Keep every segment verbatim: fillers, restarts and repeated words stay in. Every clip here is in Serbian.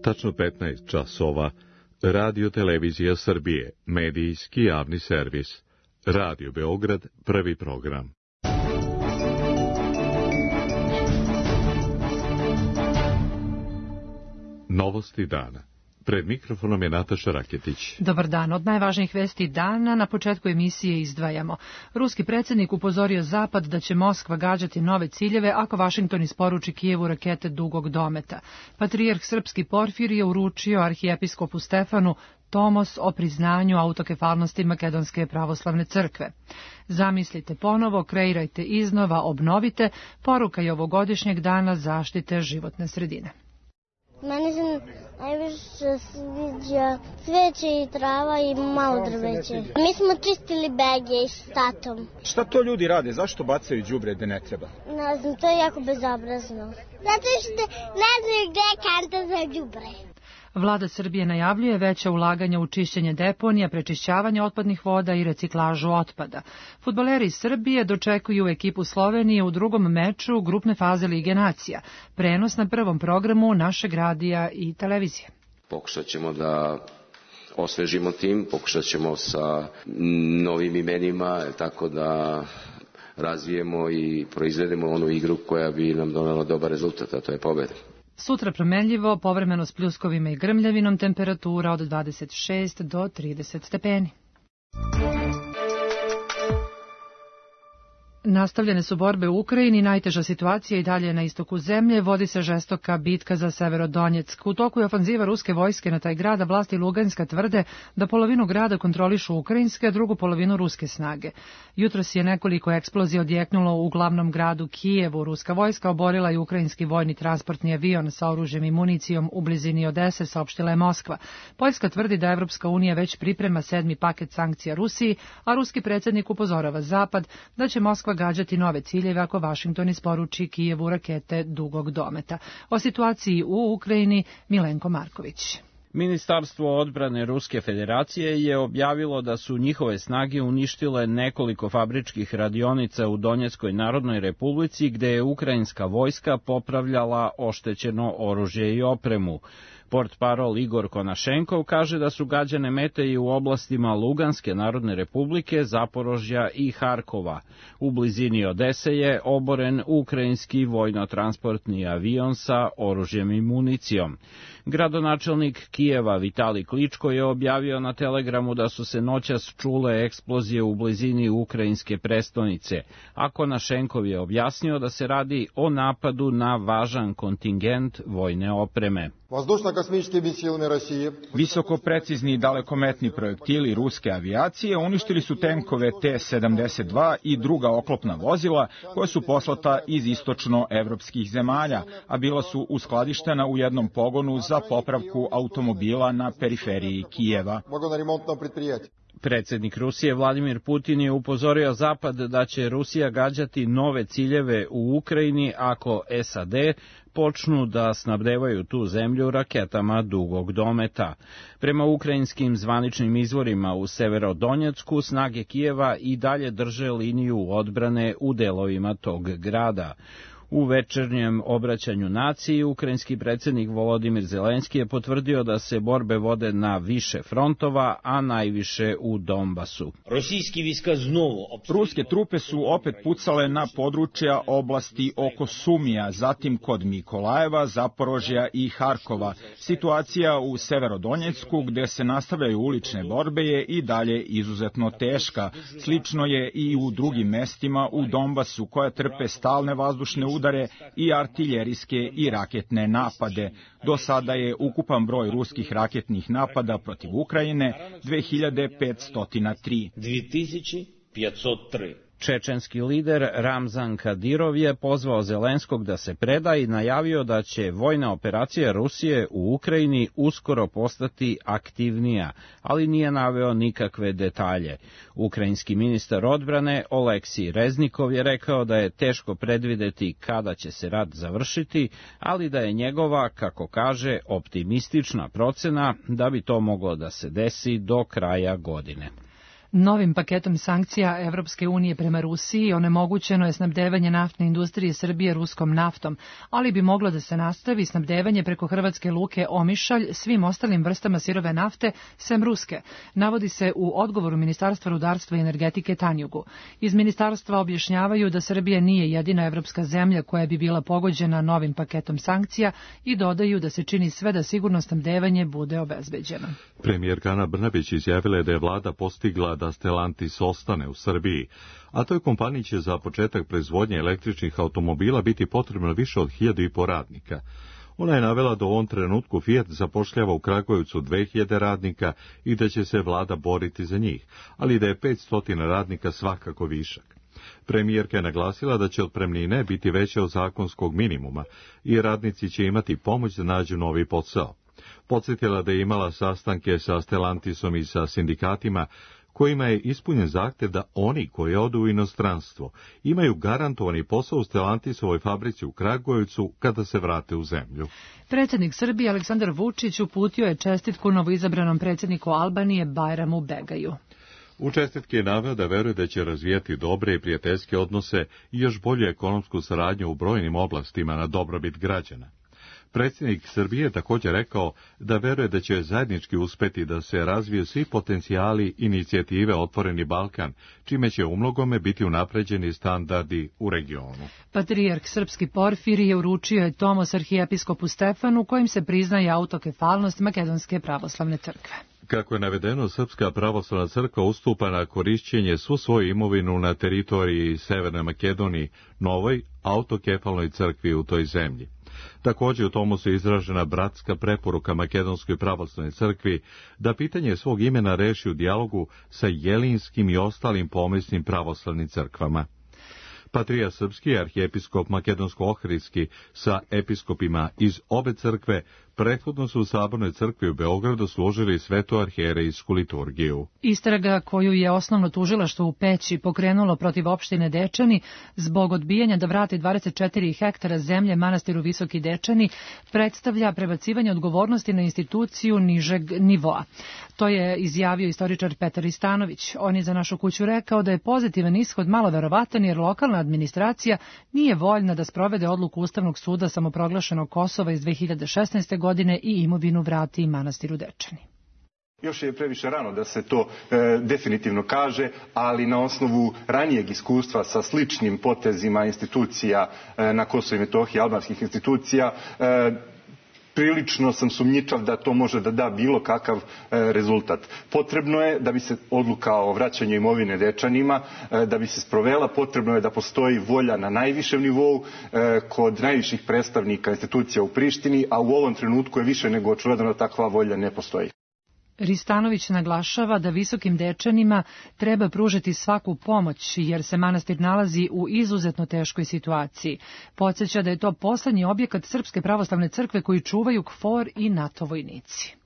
Tačno petnaest časova, Radio Televizija Srbije, medijski javni servis. Radio Beograd, prvi program. Novosti dana. Pred mikrofonom je Nataša Raketić. Dobar dan. Od najvažnijih vesti dana na početku emisije izdvajamo. Ruski predsjednik upozorio Zapad da će Moskva gađati nove ciljeve ako Vašington isporuči Kijevu rakete dugog dometa. Patrijarh srpski Porfirije uručio arhijepiskopu Stefanu tomos o priznanju autokefalnosti Makedonske pravoslavne crkve. Zamislite ponovo, kreirajte iznova, obnovite, poruka je ovogodišnjeg dana zaštite životne sredine. Meni se najviše sviđa cveće i trava i malo drveće. Mi smo čistili bege s tatom. Šta to ljudi rade? Zašto bacaju đubre gde ne treba? Ne znam, to je jako bezobrazno. Zato što ne znaju gde je kanta za đubre. Vlada Srbije najavljuje veća ulaganja u čišćenje deponija, prečišćavanje otpadnih voda i reciklažu otpada. Fudbaleri iz Srbije dočekuju ekipu Slovenije u drugom meču grupne faze Lige nacija. Prenos na prvom programu našeg radija i televizije. Pokušat ćemo da osvežimo tim, pokušat ćemo sa novim imenima, tako da razvijemo i proizvedemo onu igru koja bi nam donela dobar rezultat, a to je pobeda. Sutra promenljivo, povremeno s pljuskovima i grmljavinom, temperatura od dvadeset šest do trideset stepeni. Nastavljene su borbe u Ukrajini, najteža situacija i dalje na istoku zemlje, vodi se žestoka bitka za Severodonjeck. U toku je ofanziva ruske vojske na taj grad, a vlasti Luganska tvrde da polovinu grada kontrolišu ukrajinske, a drugu polovinu ruske snage. Jutros je nekoliko eksplozija odjeknulo u glavnom gradu Kijevu. Ruska vojska oborila i ukrajinski vojni transportni avion sa oružjem i municijom u blizini Odese, saopštila je Moskva. Poljska tvrdi da Evropska unija već priprema sedmi paket sankcija Rusiji, a ruski predsjednik upozorava Zapad da će Moskva gađati nove ciljeve ako Vašington isporuči Kijevu rakete dugog dometa. O situaciji u Ukrajini Milenko Marković. Ministarstvo odbrane Ruske federacije je objavilo da su njihove snage uništile nekoliko fabričkih radionica u Donjeckoj narodnoj republici gde je ukrajinska vojska popravljala oštećeno oružje i opremu. Portparol Igor Konašenkov kaže da su gađane mete i u oblastima Luganske narodne republike, Zaporožja i Harkova. U blizini Odese je oboren ukrajinski vojno-transportni avion sa oružjem i municijom. Gradonačelnik Kijeva Vitali Kličko je objavio na Telegramu da su se noćas čule eksplozije u blizini ukrajinske prestonice, a Konašenkov je objasnio da se radi o napadu na važan kontingent vojne opreme. Visoko precizni i dalekometni projektili ruske avijacije uništili su tenkove T sedamdeset dva i druga oklopna vozila koja su poslata iz istočno-evropskih zemalja, a bila su uskladištena u jednom pogonu za popravku automobila na periferiji Kijeva. Predsjednik Rusije Vladimir Putin je upozorio Zapad da će Rusija gađati nove ciljeve u Ukrajini ako S A D počnu da snabdevaju tu zemlju raketama dugog dometa. Prema ukrajinskim zvaničnim izvorima u Severodonjecku, snage Kijeva i dalje drže liniju odbrane u delovima tog grada. U večernjem obraćanju naciji, ukrajinski predsjednik Volodimir Zelenski je potvrdio da se borbe vode na više frontova, a najviše u Donbasu. Ruske trupe su opet pucale na područja oblasti oko Sumija, zatim kod Mikolajeva, Zaporožja i Harkova. Situacija u Severodonjecku, gde se nastavljaju ulične borbe, je i dalje izuzetno teška. Slično je i u drugim mestima u Donbasu, koja trpe stalne vazdušne udare udare i artiljerijske i raketne napade. Do sada je ukupan broj ruskih raketnih napada protiv Ukrajine dve hiljade petsto tri. Čečenski lider Ramzan Kadirov je pozvao Zelenskog da se preda i najavio da će vojna operacija Rusije u Ukrajini uskoro postati aktivnija, ali nije naveo nikakve detalje. Ukrajinski ministar odbrane Oleksij Reznikov je rekao da je teško predvideti kada će se rat završiti, ali da je njegova, kako kaže, optimistična procena da bi to moglo da se desi do kraja godine. Novim paketom sankcija Evropske unije prema Rusiji onemogućeno je snabdevanje naftne industrije Srbije ruskom naftom, ali bi moglo da se nastavi snabdevanje preko hrvatske luke Omišalj svim ostalim vrstama sirove nafte sem ruske, navodi se u odgovoru Ministarstva rudarstva i energetike Tanjugu. Iz ministarstva objašnjavaju da Srbija nije jedina evropska zemlja koja bi bila pogođena novim paketom sankcija i dodaju da se čini sve da sigurno snabdevanje bude obezbeđeno. Premijerka Ana Brnabić izjavila je da je vlada postigla da Stellantis ostane u Srbiji, a toj kompaniji će za početak proizvodnje električnih automobila biti potrebno više od hiljadu i po radnika. Ona je navela da u ovom trenutku Fiat zapošljava u Kragujevcu dve hiljade radnika i da će se vlada boriti za njih, ali da je petsto radnika svakako višak. Premijerka je naglasila da će otpremnine biti veće od zakonskog minimuma i radnici će imati pomoć da nađu novi posao. Podsjetila da je imala sastanke sa Stellantisom i sa sindikatima, kojima je ispunjen zahtev da oni koji odu u inostranstvo imaju garantovani posao u Stellantisovoj fabrici u Kragujevcu kada se vrate u zemlju. Predsjednik Srbije Aleksandar Vučić uputio je čestitku novoizabranom predsjedniku Albanije Bajramu Begaju. U čestitki je naveo da veruje da će razvijati dobre i prijateljske odnose i još bolju ekonomsku saradnju u brojnim oblastima na dobrobit građana. Predsjednik Srbije je također rekao da veruje da će zajednički uspeti da se razviju svi potencijali inicijative Otvoreni Balkan, čime će umnogome biti unapređeni standardi u regionu. Patrijarh srpski Porfirije uručio je tomos arhijepiskopu Stefanu, kojim se priznaje autokefalnost Makedonske pravoslavne crkve. Kako je navedeno, Srpska pravoslavna crkva ustupa na korišćenje svu svoju imovinu na teritoriji Severne Makedonije novoj autokefalnoj crkvi u toj zemlji. Također u tomosu je izražena bratska preporuka Makedonskoj pravoslavnoj crkvi da pitanje svog imena reši u dijalogu sa jelinskim i ostalim pomisnim pravoslavnim crkvama. Patrija srpski arhijepiskop makedonsko-ohridski sa episkopima iz obe crkve prethodno su u Sabornoj crkvi u Beogradu služili svetu arhijerejsku liturgiju. Istraga koju je osnovno tužilaštvo u Peći pokrenulo protiv opštine Dečani zbog odbijanja da vrati dvadeset četiri hektara zemlje manastiru Visoki Dečani predstavlja prebacivanje odgovornosti na instituciju nižeg nivoa. To je izjavio istoričar Petar Istanović. On je za Našu kuću rekao da je pozitivan ishod malo verovatan jer lokalna administracija nije voljna da sprovede odluku Ustavnog suda samoproglašenog Kosova iz dve hiljade šesnaeste. godine i imovinu vrati manastiru Dečani. Još je previše rano da se to e, definitivno kaže, ali na osnovu ranijeg iskustva sa sličnim potezima institucija e, na Kosovu i Metohiji, albanskih institucija, e, prilično sam sumnjičav da to može da da bilo kakav e, rezultat. Potrebno je da bi se odluka o vraćanju imovine Dečanima, e, da bi se sprovela, potrebno je da postoji volja na najvišem nivou e, kod najviših predstavnika institucija u Prištini, a u ovom trenutku je više nego očigledno da takva volja ne postoji. Ristanović naglašava da Visokim Dečanima treba pružiti svaku pomoć jer se manastir nalazi u izuzetno teškoj situaciji. Podsjeća da je to poslednji objekat Srpske pravoslavne crkve koji čuvaju KFOR i NATO vojnici.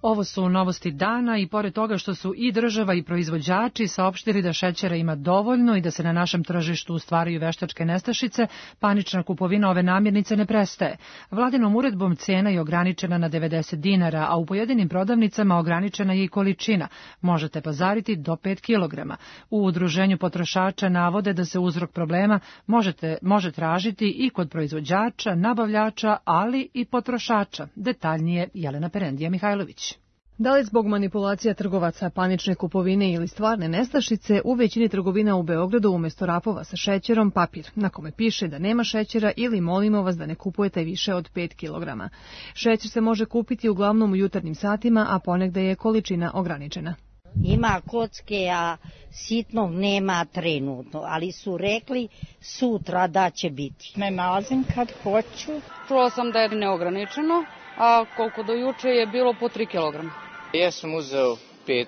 Ovo su novosti dana i pored toga što su i država i proizvođači saopštili da šećera ima dovoljno i da se na našem tržištu stvaraju veštačke nestašice, panična kupovina ove namirnice ne prestaje. Vladinom uredbom cena je ograničena na devedeset dinara, a u pojedinim prodavnicama ograničena je i količina. Možete pazariti do pet kilograma. U udruženju potrošača navode da se uzrok problema možete, može tražiti i kod proizvođača, nabavljača, ali i potrošača. Detaljnije Jelena Perendija Mihajlović. Da li zbog manipulacija trgovaca, panične kupovine ili stvarne nestašice, u većini trgovina u Beogradu umjesto rapova sa šećerom papir, na kome piše da nema šećera ili molimo vas da ne kupujete više od pet kilograma. Šećer se može kupiti uglavnom u jutarnjim satima, a ponegde je količina ograničena. Ima kocke, a sitnog nema trenutno, ali su rekli sutra da će biti. Ne nalazim kad hoću. Čula sam da je neograničeno, a koliko do juče je bilo po tri kilograma. Ja sam uzeo pet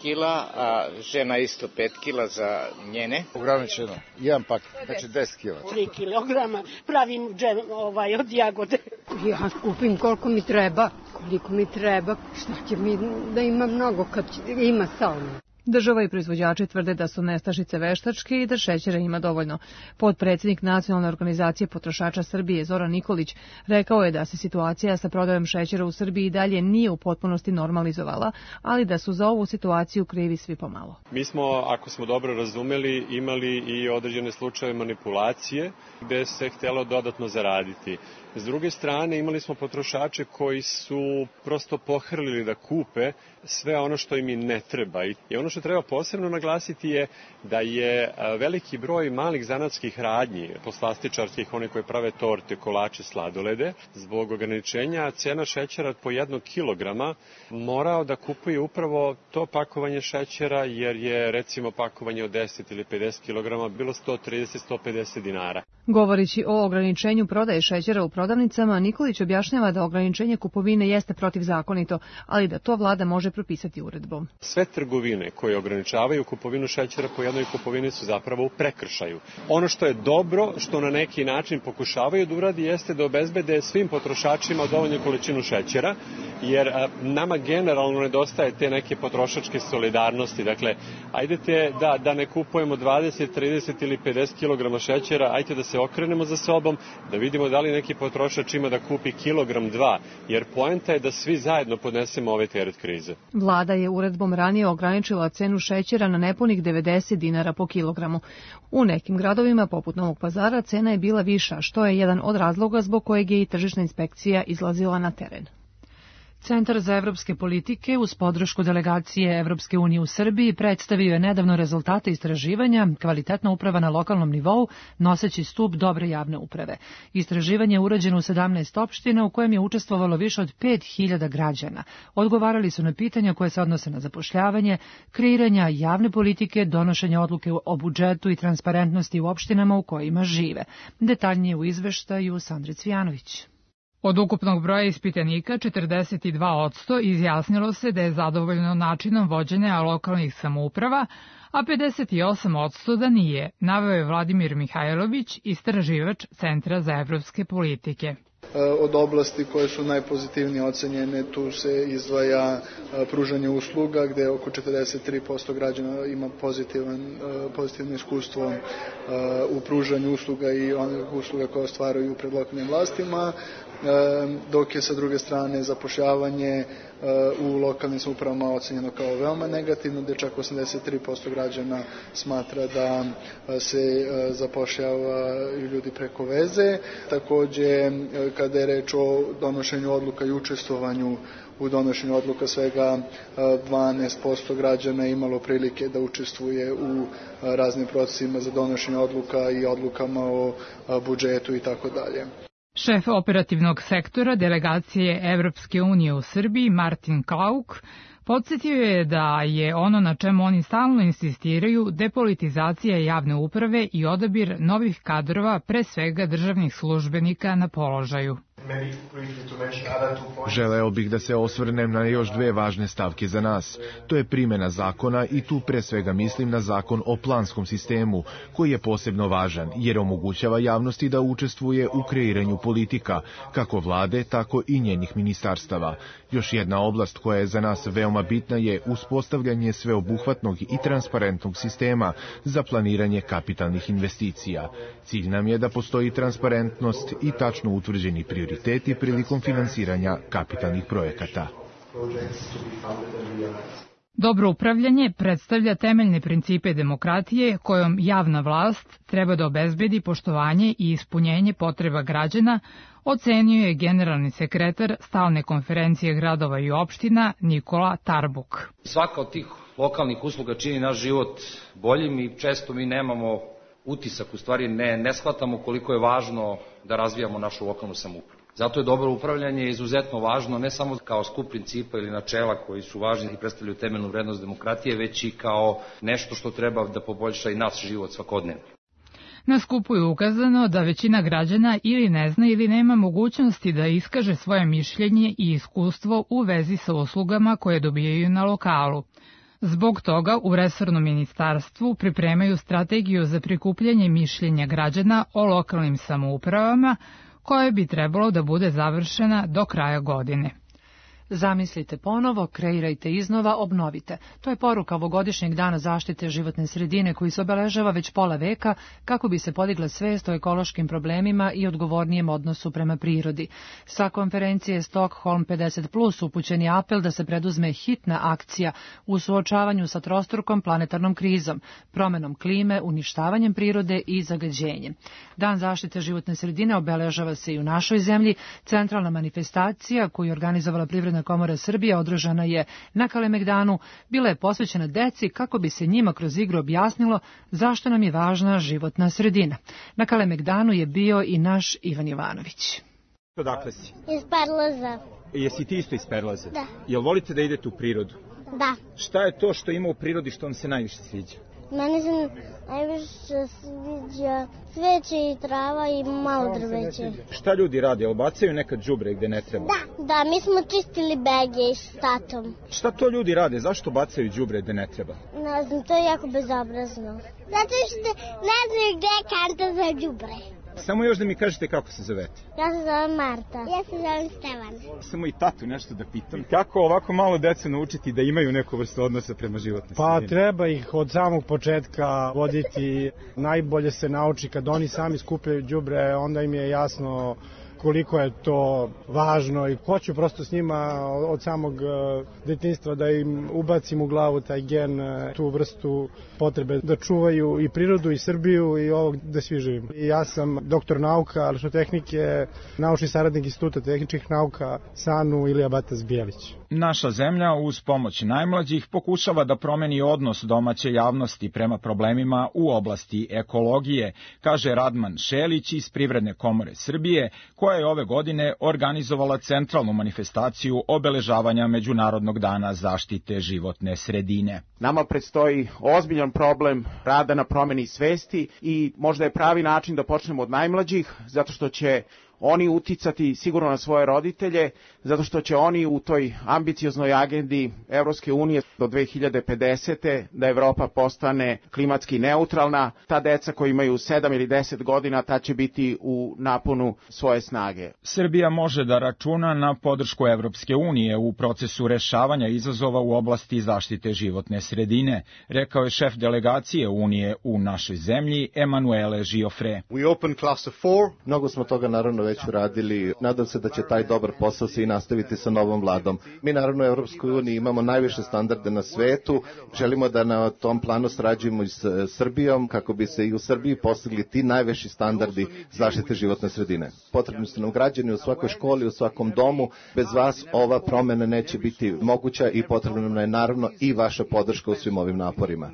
kila, a žena isto pet kila za njene. Ograničeno, jedan pak, znači deset kila. Tri kilograma, pravim džem ovaj, od jagode. Ja kupim koliko mi treba, koliko mi treba, šta će mi da ima mnogo kad ima samo. Država i proizvođači tvrde da su nestašice veštačke i da šećera ima dovoljno. Potpredsjednik Nacionalne organizacije potrošača Srbije Zoran Nikolić rekao je da se situacija sa prodajom šećera u Srbiji dalje nije u potpunosti normalizovala, ali da su za ovu situaciju krivi svi pomalo. Mi smo, ako smo dobro razumeli, imali i određene slučaje manipulacije gde se htjelo dodatno zaraditi. S druge strane, imali smo potrošače koji su prosto pohrlili da kupe sve ono što im i ne treba. I ono što treba posebno naglasiti je da je veliki broj malih zanatskih radnji, poslastičarskih, one koje prave torte, kolače, sladolede, zbog ograničenja cena šećera po jednog kilograma morao da kupuje upravo to pakovanje šećera, jer je recimo pakovanje od deset ili pedeset kilograma bilo sto trideset do sto pedeset dinara. Govorići o ograničenju prodaje šećera u prodavnicama, Nikolić objašnjava da ograničenje kupovine jeste protivzakonito, ali da to vlada može propisati uredbom. Sve trgovine koje ograničavaju kupovinu šećera po jednoj kupovini su zapravo u prekršaju. Ono što je dobro, što na neki način pokušavaju da uradi, jeste da obezbede svim potrošačima dovoljnu količinu šećera, jer nama generalno nedostaje te neke potrošačke solidarnosti. Dakle, ajdete da, da ne kupujemo dvadeset, trideset ili pedeset kilograma šećera, ajde da se okrenemo za sobom, da vidimo da li neki potrošač ima da kupi kilogram dva, jer poenta je da svi zajedno podnesemo ovaj teret krize. Vlada je uredbom ranije ograničila cenu šećera na nepunih devedeset dinara po kilogramu. U nekim gradovima, poput Novog Pazara, cena je bila viša, što je jedan od razloga zbog kojeg je i tržišna inspekcija izlazila na teren. Centar za evropske politike uz podršku delegacije Evropske unije u Srbiji predstavio je nedavno rezultate istraživanja Kvalitetna uprava na lokalnom nivou, noseći stup dobre javne uprave. Istraživanje je urađeno u sedamnaest opština u kojem je učestvovalo više od pet hiljada građana. Odgovarali su na pitanja koje se odnose na zapošljavanje, kreiranja javne politike, donošenje odluke o budžetu i transparentnosti u opštinama u kojima žive. Detaljnije u izveštaju Sandre Cvijanović. Od ukupnog broja ispitanika, četrdeset dva posto izjasnilo se da je zadovoljno načinom vođenja lokalnih samouprava, a pedeset osam posto da nije, naveo je Vladimir Mihajlović, istraživač Centra za evropske politike. Od oblasti koje su najpozitivnije ocenjene, tu se izdvaja pružanje usluga, gde oko četrdeset tri posto građana ima pozitivan, pozitivno iskustvo u pružanju usluga i onih usluga koje ostvaruju pred lokalnim vlastima, dok je sa druge strane zapošljavanje u lokalnim samoupravama ocenjeno kao veoma negativno, gde čak osamdeset tri posto građana smatra da se zapošljava ljudi preko veze. Takođe, kada je reč o donošenju odluka i učestvovanju u donošenju odluka, svega dvanaest posto građana je imalo prilike da učestvuje u raznim procesima za donošenje odluka i odlukama o budžetu i tako dalje. Šef operativnog sektora delegacije Evropske unije u Srbiji, Martin Klauk, podsjetio je da je ono na čemu oni stalno insistiraju depolitizacija javne uprave i odabir novih kadrova, pre svega državnih službenika na položaju. Želeo bih da se osvrnem na još dve važne stavke za nas. To je primjena zakona i tu pre svega mislim na zakon o planskom sistemu, koji je posebno važan jer omogućava javnosti da učestvuje u kreiranju politika, kako vlade, tako i njenih ministarstava. Još jedna oblast koja je za nas veoma bitna je uspostavljanje sveobuhvatnog i transparentnog sistema za planiranje kapitalnih investicija. Cilj nam je da postoji transparentnost i tačno utvrđeni prioriteti prilikom finansiranja kapitalnih projekata. Dobro upravljanje predstavlja temeljne principe demokratije kojom javna vlast treba da obezbedi poštovanje i ispunjenje potreba građana, ocenio je generalni sekretar Stalne konferencije gradova i opština Nikola Tarbuk. Svaka od tih lokalnih usluga čini naš život boljim i često mi nemamo utisak, u stvari ne, ne shvatamo koliko je važno da razvijamo našu lokalnu samoupravu. Zato je dobro upravljanje izuzetno važno, ne samo kao skup principa ili načela koji su važni i predstavljaju temeljnu vrednost demokratije, već i kao nešto što treba da poboljša i naš život svakodnevno. Na skupu je ukazano da većina građana ili ne zna ili nema mogućnosti da iskaže svoje mišljenje i iskustvo u vezi sa uslugama koje dobijaju na lokalu. Zbog toga u resornom ministarstvu pripremaju strategiju za prikupljanje mišljenja građana o lokalnim samoupravama, koja bi trebalo da bude završena do kraja godine. Zamislite ponovo, kreirajte iznova, obnovite. To je poruka ovogodišnjeg dana zaštite životne sredine koji se obeležava već pola veka kako bi se podigla svest o ekološkim problemima i odgovornijem odnosu prema prirodi. Sa konferencije Stockholm pedeset plus upućen je apel da se preduzme hitna akcija u suočavanju sa trostrukom planetarnom krizom, promenom klime, uništavanjem prirode i zagađenjem. Dan zaštite životne sredine obeležava se i u našoj zemlji. Centralna manifestacija koju je organizovala Privredna komora Srbije održana je na Kalemegdanu, bila je posvećena deci kako bi se njima kroz igru objasnilo zašto nam je važna životna sredina. Na Kalemegdanu je bio i naš Ivan Jovanović. Odakle si? Iz Perlaza. Jesi ti isto iz Perlaze? Da. Jel volite da idete u prirodu? Da. Šta je to što ima u prirodi što vam se najviše sviđa? Meni se najviše sviđa cveće i trava i malo drveće. Šta ljudi rade? Jel bacaju nekad đubre gde ne treba? Da, da, mi smo čistili bege s tatom. Šta to ljudi rade? Zašto bacaju đubre gde ne treba? Ne znam, to je jako bezobrazno. Zato što ne znaju gde je kanta za đubre. Samo još da mi kažete kako se zovete. Ja se zovem Marta. Ja se zovem Stevan. Samo i tatu nešto da pitam. Kako ovako malo decu naučiti da imaju neku vrstu odnosa prema životnoj sredini? Pa treba ih od samog početka voditi. Najbolje se nauči kad oni sami skupljaju đubre, onda im je jasno koliko je to važno i hoću prosto s njima od samog detinjstva da im ubacim u glavu taj gen, tu vrstu potrebe da čuvaju i prirodu i Srbiju i ovo gde svi živimo. I ja sam doktor nauka, elektrotehnike, naučni saradnik Instituta tehničkih nauka SANU Ilija Batas Bijelić. Naša zemlja uz pomoć najmlađih pokušava da promeni odnos domaće javnosti prema problemima u oblasti ekologije, kaže Radman Šelić iz Privredne komore Srbije, koja je ove godine organizovala centralnu manifestaciju obeležavanja Međunarodnog dana zaštite životne sredine. Nama predstoji ozbiljan problem rada na promeni svesti i možda je pravi način da počnemo od najmlađih, zato što će oni uticati sigurno na svoje roditelje, zato što će oni u toj ambicioznoj agendi Evropske unije do dve hiljade pedesete da Evropa postane klimatski neutralna. Ta deca koji imaju sedam ili deset godina, ta će biti u naponu svoje snage. Srbija može da računa na podršku Evropske unije u procesu rešavanja izazova u oblasti zaštite životne sredine, rekao je šef delegacije Unije u našoj zemlji, Emanuele Giofre. We open cluster four. Mnogo smo toga naravno već uradili. Nadam se da će taj dobar posao se i nastaviti sa novom vladom. Mi naravno u Evropskoj uniji imamo najviše standarde na svetu. Želimo da na tom planu sarađujemo i s Srbijom kako bi se i u Srbiji postigli ti najviši standardi zaštite životne sredine. Potrebni su nam građani u svakoj školi, u svakom domu. Bez vas ova promena neće biti moguća i potrebna nam je naravno i vaša podrška u svim ovim naporima.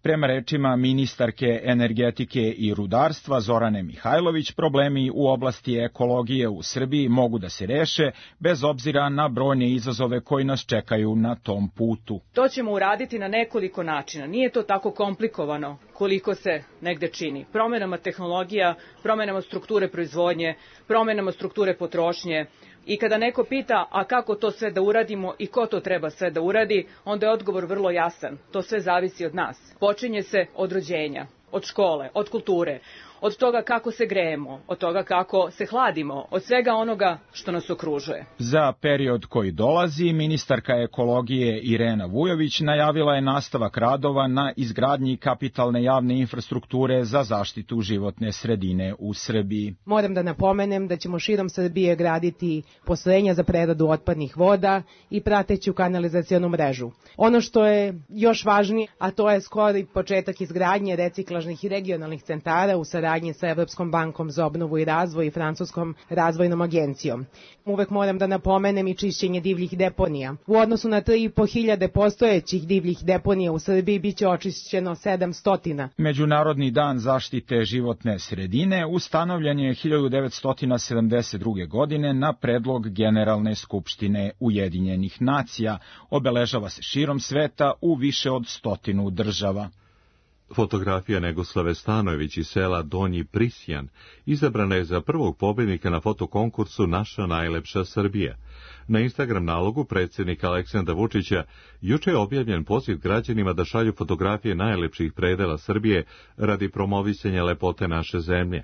Prema rečima ministarke energetike i rudarstva Zorane Mihajlović, problemi u oblasti ekologije u Srbiji mogu da se reše bez obzira na brojne izazove koji nas čekaju na tom putu. To ćemo uraditi na nekoliko načina. Nije to tako komplikovano koliko se negde čini. Promenama tehnologija, promenama strukture proizvodnje, promenama strukture potrošnje. I kada neko pita, a kako to sve da uradimo i ko to treba sve da uradi, onda je odgovor vrlo jasan. To sve zavisi od nas. Počinje se od rođenja, od škole, od kulture, od toga kako se grejemo, od toga kako se hladimo, od svega onoga što nas okružuje. Za period koji dolazi, ministarka ekologije Irena Vujović najavila je nastavak radova na izgradnji kapitalne javne infrastrukture za zaštitu životne sredine u Srbiji. Moram da napomenem da ćemo širom Srbije graditi postrojenja za preradu otpadnih voda i prateću kanalizacionu mrežu. Ono što je još važnije, a to je skori početak izgradnje reciklažnih i regionalnih centara u saradnji sa Evropskom bankom za obnovu i razvoj i Francuskom razvojnom agencijom. Uvek moram da napomenem i čišćenje divljih deponija. U odnosu na tri i po hiljade postojećih divljih deponija u Srbiji biće očišćeno sedamsto. Međunarodni dan zaštite životne sredine ustanovljen je hiljadu devetsto sedamdeset druge. godine na predlog Generalne skupštine Ujedinjenih nacija. Obeležava se širom sveta u više od stotinu država. Fotografija Negoslave Stanojević iz sela Donji Prisjan izabrana je za prvog pobednika na fotokonkursu Naša najlepša Srbija. Na Instagram nalogu predsjednika Aleksandra Vučića juče je objavljen poziv građanima da šalju fotografije najlepših predela Srbije radi promovisanja lepote naše zemlje.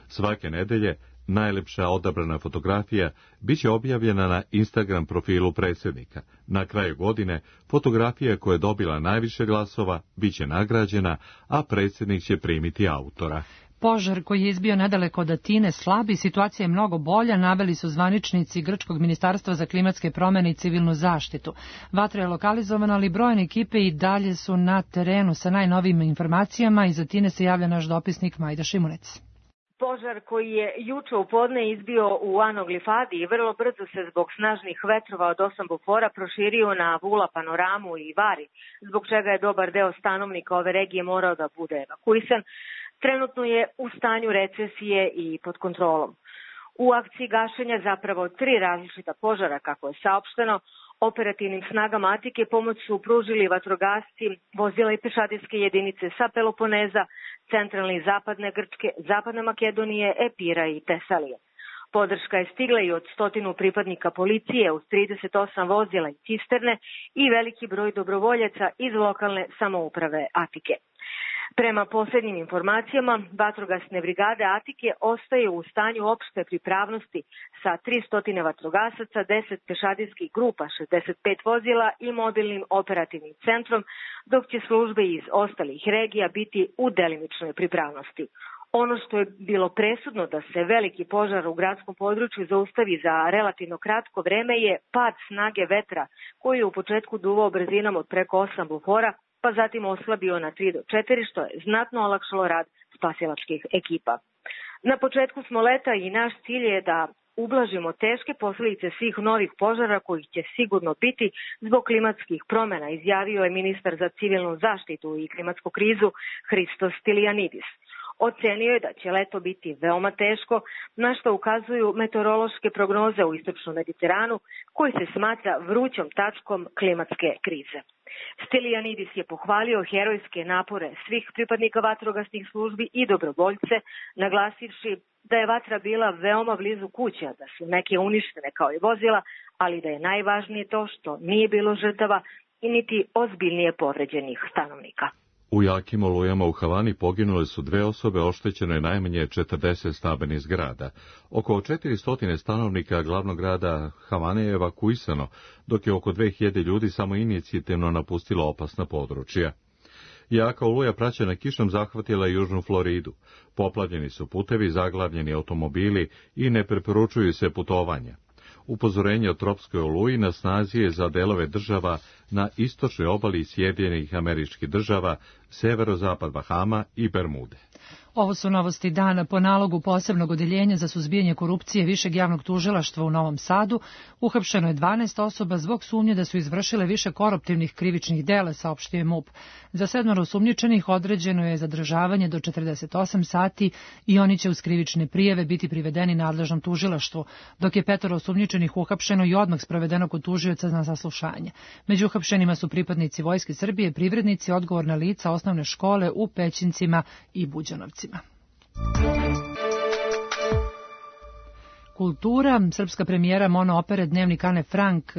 Svake nedelje Najlepša odabrana fotografija biće objavljena na Instagram profilu predsjednika. Na kraju godine fotografija koja je dobila najviše glasova biće nagrađena, a predsjednik će primiti autora. Požar koji je izbio nedaleko od Atine slabi, situacija je mnogo bolja, naveli su zvaničnici Grčkog ministarstva za klimatske promjene i civilnu zaštitu. Vatra je lokalizovana, ali brojne ekipe i dalje su na terenu sa najnovijim informacijama. Iz Atine se javlja naš dopisnik Majda Šimunec. Požar koji je juče u podne izbio u Anoglifadi i vrlo brzo se zbog snažnih vetrova od osam bufora proširio na Vula, Panoramu i Vari, zbog čega je dobar deo stanovnika ove regije morao da bude evakuisan. Trenutno je u stanju recesije i pod kontrolom. U akciji gašenja zapravo tri različita požara, kako je saopšteno, operativnim snagama Atike pomoć su pružili vatrogasci, vozila i pešadijske jedinice sa Peloponeza, centralne i zapadne Grčke, zapadne Makedonije, Epira i Tesalije. Podrška je stigla i od stotinu pripadnika policije uz trideset osam vozila i cisterne i veliki broj dobrovoljaca iz lokalne samouprave Atike. Prema posljednjim informacijama, vatrogasne brigade Atike ostaju u stanju opšte pripravnosti sa tristo vatrogasaca, deset pešadijskih grupa, šezdeset pet vozila i mobilnim operativnim centrom, dok će službe iz ostalih regija biti u delimičnoj pripravnosti. Ono što je bilo presudno da se veliki požar u gradskom području zaustavi za relativno kratko vreme je pad snage vetra, koji je u početku duvao brzinom od preko osam bufora, pa zatim oslabio na tri do četiri, što je znatno olakšalo rad spasilačkih ekipa. Na početku smo leta i naš cilj je da ublažimo teške posljedice svih novih požara kojih će sigurno biti zbog klimatskih promjena, izjavio je ministar za civilnu zaštitu i klimatsku krizu Hristos Stylianidis. Ocenio je da će leto biti veoma teško, na što ukazuju meteorološke prognoze u istočnom Mediteranu, koji se smatra vrućom tačkom klimatske krize. Stylianidis je pohvalio herojske napore svih pripadnika vatrogasnih službi i dobrovoljce, naglasivši da je vatra bila veoma blizu kuća, da su neke uništene kao i vozila, ali da je najvažnije to što nije bilo žrtava i niti ozbiljnije povređenih stanovnika. U jakim olujama u Havani poginule su dve osobe, oštećeno je najmanje četrdeset stambenih zgrada. Oko četiristo stanovnika glavnog grada Havane je evakuisano, dok je oko dve hiljade ljudi samo inicijativno napustilo opasna područja. Jaka oluja praćena kišom zahvatila južnu Floridu. Poplavljeni su putevi, zaglavljeni automobili i ne preporučuju se putovanja. Upozorenje o tropskoj oluji na snazi je za delove država na istočnoj obali Sjedinjenih Američkih Država, severozapad Bahama i Bermude. Ovo su novosti dana. Po nalogu posebnog odeljenja za suzbijanje korupcije Višeg javnog tužilaštva u Novom Sadu uhapšeno je dvanaest osoba zbog sumnje da su izvršile više koruptivnih krivičnih dela, saopštio je MUP. Za sedmoro osumnjičenih određeno je zadržavanje do četrdeset osam sati i oni će uz krivične prijave biti privedeni nadležnom tužilaštvu, dok je petoro osumnjičenih uhapšeno i odmah sprovedeno kod tužioca na saslušanje. Među uhapšenima su pripadnici Vojske Srbije, privrednici, odgovorna lica osnovne škole u Pećincima i Buđanovcima. Kultura. Srpska premijera monoopere Dnevnik Ane Frank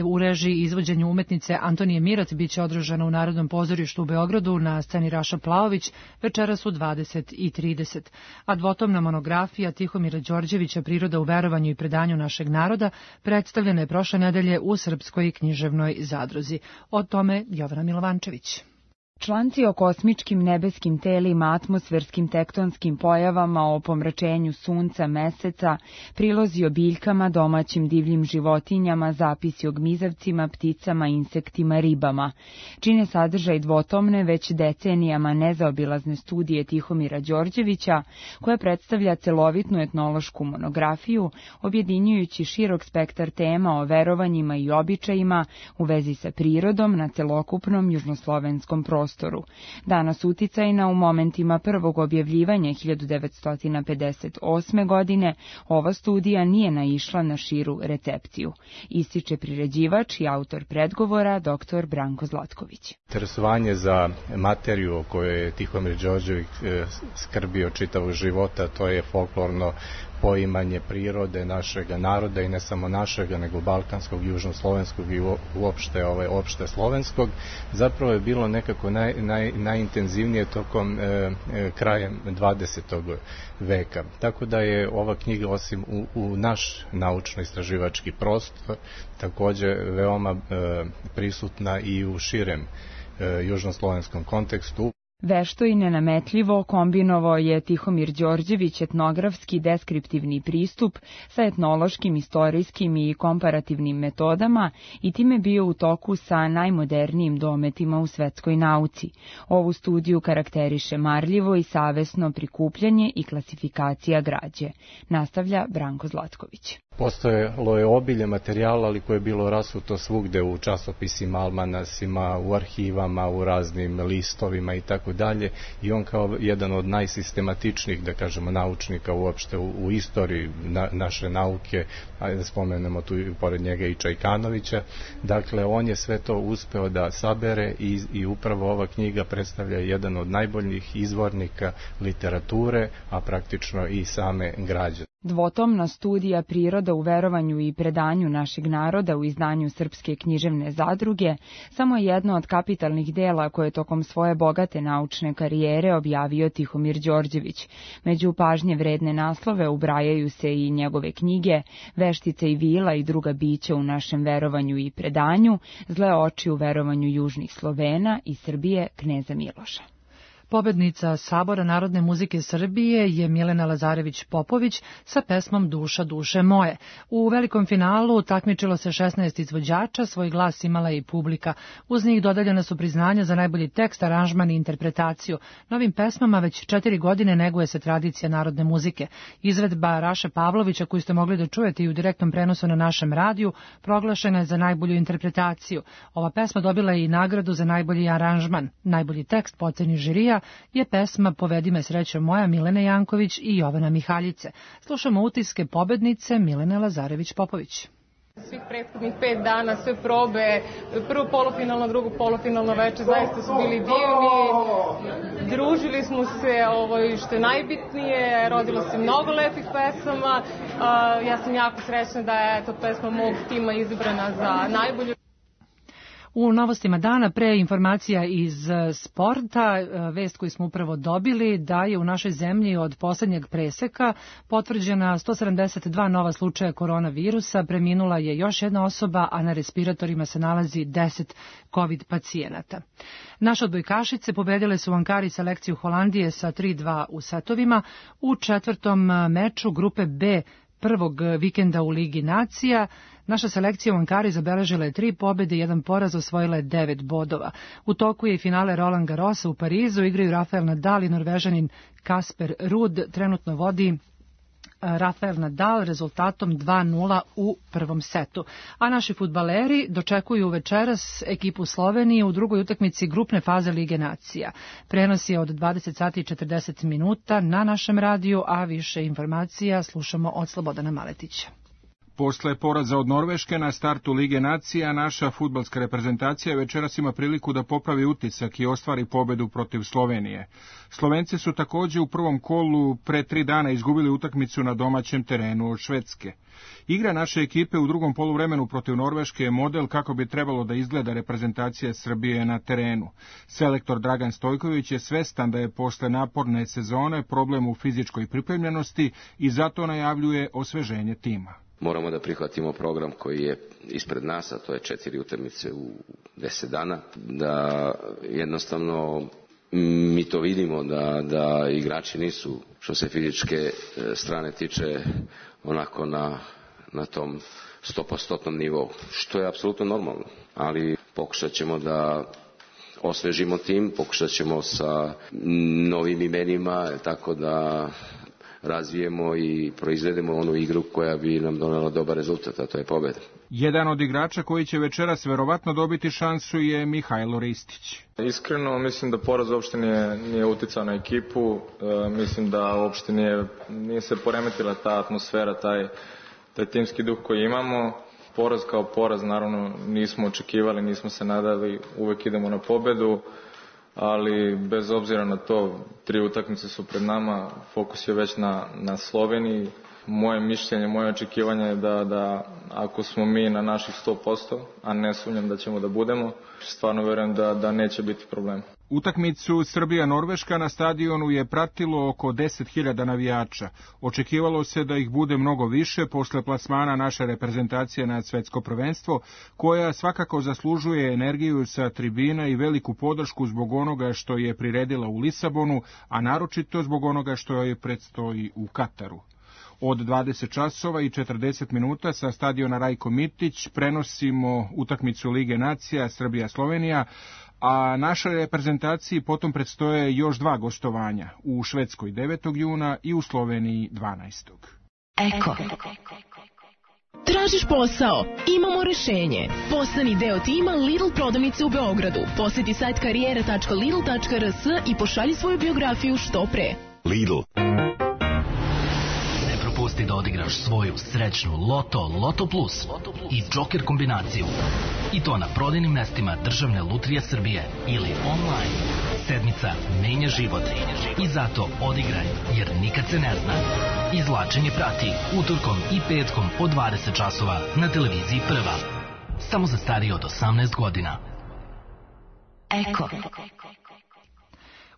u režiji i izvođenju umetnice Antonije Mirat biće održana u Narodnom pozorištu u Beogradu na sceni Raša Plaović večeras u dvadeset i trideset. A dvotomna monografija Tihomira Đorđevića Priroda u verovanju i predanju našeg naroda predstavljena je prošle nedelje u Srpskoj književnoj zadruzi. O tome Jovana Milovančević. Članci o kosmičkim nebeskim telima, atmosferskim tektonskim pojavama, o pomračenju sunca, meseca, prilozi o biljkama, domaćim divljim životinjama, zapisi o gmizavcima, pticama, insektima, ribama. Čine sadržaj dvotomne, već decenijama nezaobilazne studije Tihomira Đorđevića, koja predstavlja celovitnu etnološku monografiju, objedinjujući širok spektar tema o verovanjima i običajima u vezi sa prirodom na celokupnom južnoslovenskom prostoru. Danas uticajna u momentima prvog objavljivanja hiljadu devetsto pedeset osme. godine, ova studija nije naišla na širu recepciju, ističe priređivač i autor predgovora dr Branko Zlatković. Interesovanje za materiju o kojoj je Tihomir Đorđević skrbio čitavog života, to je folklorno poimanje prirode našeg naroda i ne samo našega, nego balkanskog, južnoslovenskog i uopšte, ovaj, opšte slovenskog, zapravo je bilo nekako naj, naj, najintenzivnije tokom e, krajem dvadesetog veka. Tako da je ova knjiga, osim u, u naš naučno-istraživački prostor, takođe veoma e, prisutna i u širem e, južnoslovenskom kontekstu. Vešto i nenametljivo kombinovao je Tihomir Đorđević etnografski deskriptivni pristup sa etnološkim, istorijskim i komparativnim metodama i time bio u toku sa najmodernijim dometima u svetskoj nauci. Ovu studiju karakteriše marljivo i savesno prikupljanje i klasifikacija građe. Nastavlja Branko Zlatković. Postojalo je obilje materijala, ali koje je bilo rasuto svugde u časopisima, almanasima, u arhivama, u raznim listovima i tako dalje. I on kao jedan od najsistematičnijih, da kažemo, naučnika uopšte u, u istoriji na, naše nauke, ajde da spomenemo tu pored njega i Čajkanovića. Dakle, on je sve to uspeo da sabere i, i upravo ova knjiga predstavlja jedan od najboljih izvornika literature, a praktično i same građe. Dvotomna studija Priroda u verovanju i predanju našeg naroda u izdanju Srpske književne zadruge samo je jedno od kapitalnih dela koje tokom svoje bogate naučne karijere objavio Tihomir Đorđević. Među pažnje vredne naslove ubrajaju se i njegove knjige Veštica i vila i druga bića u našem verovanju i predanju, Zle oči u verovanju južnih Slovena i Srbije kneza Miloša. Pobednica Sabora Narodne muzike Srbije je Milena Lazarević-Popović sa pesmom Duša, duše moje. U velikom finalu takmičilo se šesnaest izvođača, svoj glas imala i publika. Uz njih dodeljena su priznanja za najbolji tekst, aranžman i interpretaciju. Novim pesmama već četiri godine neguje se tradicija narodne muzike. Izvedba Raše Pavlovića, koju ste mogli da čujete i u direktnom prenosu na našem radiju, proglašena je za najbolju interpretaciju. Ova pesma dobila je i nagradu za najbolji aranžman. Najbolji tekst po oceni žirija je pesma Povedi me srećo moja Milene Janković i Jovana Mihaljice. Slušamo utiske pobednice Milene Lazarević-Popović. Svih prethodnih pet dana, sve probe, prvo polufinalno, drugo polufinalno veče, zaista su bili divni. Družili smo se, ovo, što je najbitnije, rodilo se mnogo lepih pesama. Ja sam jako srećna da je to pesma mog tima izabrana za najbolju. U novostima dana, pre informacija iz sporta, vest koju smo upravo dobili da je u našoj zemlji od poslednjeg preseka potvrđena sto sedamdeset dva nova slučaja koronavirusa, preminula je još jedna osoba, a na respiratorima se nalazi deset COVID pacijenata. Naše odbojkašice pobedile su u Ankari selekciju Holandije sa tri dva u setovima. U četvrtom meču grupe B prvog vikenda u Ligi nacija naša selekcija u Ankari zabeležila je tri pobede i jedan poraz, osvojila je devet bodova. U toku je i finale Roland Garrosa u Parizu, igraju Rafael Nadal i Norvežanin Kasper Ruud, trenutno vodi Rafael Nadal rezultatom dva nula u prvom setu. A naši fudbaleri dočekuju večeras ekipu Slovenije u drugoj utakmici grupne faze Lige nacija. Prenos je od dvadeset sati i četrdeset minuta na našem radiju, a više informacija slušamo od Slobodana Maletića. Posle poraza od Norveške na startu Lige nacija, naša fudbalska reprezentacija večeras ima priliku da popravi utisak i ostvari pobedu protiv Slovenije. Slovenci su takođe u prvom kolu pre tri dana izgubili utakmicu na domaćem terenu od Švedske. Igra naše ekipe u drugom poluvremenu protiv Norveške je model kako bi trebalo da izgleda reprezentacija Srbije na terenu. Selektor Dragan Stojković je svestan da je posle naporne sezone problem u fizičkoj pripremljenosti i zato najavljuje osveženje tima. Moramo da prihvatimo program koji je ispred nas, a to je četiri utakmice u deset dana, da jednostavno mi to vidimo da, da igrači nisu, što se fizičke strane tiče, onako na, na tom stopostotnom nivou, što je apsolutno normalno, ali pokušat ćemo da osvežimo tim, pokušat ćemo sa novim imenima, tako da razvijemo i proizvedemo onu igru koja bi nam donela dobar rezultat, a to je pobeda. Jedan od igrača koji će večeras verovatno dobiti šansu je Mihajlo Ristić. Iskreno, mislim da poraz uopšte nije, nije uticao na ekipu, e, mislim da uopšte nije, nije se poremetila ta atmosfera, taj, taj timski duh koji imamo. Poraz kao poraz, naravno, nismo očekivali, nismo se nadali, uvek idemo na pobedu, ali bez obzira na to, tri utakmice su pred nama, fokus je već na, na Sloveniji. moje mišljenje, moje očekivanje je da, da ako smo mi na naših sto posto, a ne sumnjam da ćemo da budemo, stvarno verujem da, da neće biti problem. Utakmicu Srbija-Norveška na stadionu je pratilo oko deset hiljada navijača. Očekivalo se da ih bude mnogo više posle plasmana naše reprezentacije na svetsko prvenstvo, koja svakako zaslužuje energiju sa tribina i veliku podršku zbog onoga što je priredila u Lisabonu, a naročito zbog onoga što joj predstoji u Kataru. Od dvadeset časova i četrdeset minuta sa stadiona Rajko Mitić prenosimo utakmicu Lige nacija Srbija-Slovenija, a našoj reprezentaciji potom predstoje još dva gostovanja, u Švedskoj devetog juna i u Sloveniji dvanaestog Eko. Tražiš posao? Imamo rešenje. Postani deo tima Lidl prodavnice u Beogradu. Poseti sajt karijera tačka lidl tačka r s i pošalji svoju biografiju što pre. Lidl. Pusti da odigraš svoju srećnu Loto, Loto Plus i Joker kombinaciju. I to na prodajnim mestima Državne lutrije Srbije ili online. Sedmica menja život. I zato odigraj, jer nikad se ne zna. Izvlačenje prati utorkom i petkom od dvadeset časova na televiziji Prva. Samo za starije od osamnaest godina. Eko.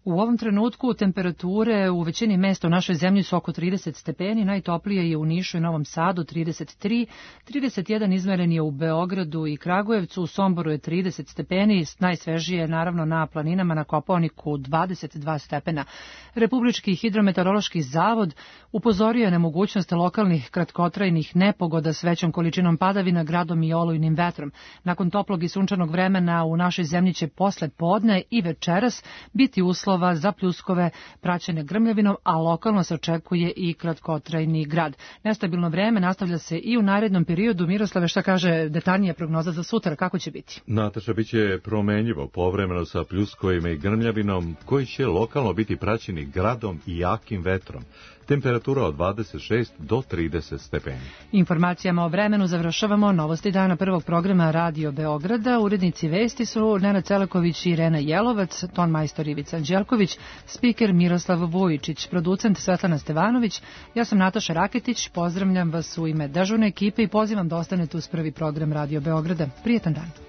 U ovom trenutku temperature u većini mesta u našoj zemlji su oko trideset stepeni, najtoplije je u Nišu i Novom Sadu trideset tri, trideset jedan izmeren je u Beogradu i Kragujevcu, u Somboru je trideset stepeni, najsvežije je naravno na planinama na Kopaoniku dvadeset dva stepena. Republički hidrometeorološki zavod upozorio je na mogućnost lokalnih kratkotrajnih nepogoda s većom količinom padavina, gradom i olujnim vetrom. Nakon toplog i sunčanog vremena u našoj zemlji će posle podne i večeras biti uslov za pljuskove praćene grmljavinom, a lokalno se očekuje i kratkotrajni grad. Nestabilno vreme nastavlja se i u narednom periodu. Miroslave, šta kaže detaljnija prognoza za sutra, kako će biti? Nataša, bit će promenljivo, povremeno sa pljuskovima i grmljavinom, koji će lokalno biti praćeni gradom i jakim vetrom. Temperatura od dvadeset šest do trideset stepeni. Informacijama o vremenu završavamo novosti dana prvog programa Radio Beograda. Urednici vesti su Nenad Celeković i Irena Jelovac, ton majstor Ivica Anđelković, spiker Miroslav Vujičić, producent Svetlana Stevanović. Ja sam Nataša Raketić, pozdravljam vas u ime dežurne ekipe i pozivam da ostanete uz prvi program Radio Beograda. Prijetan dan.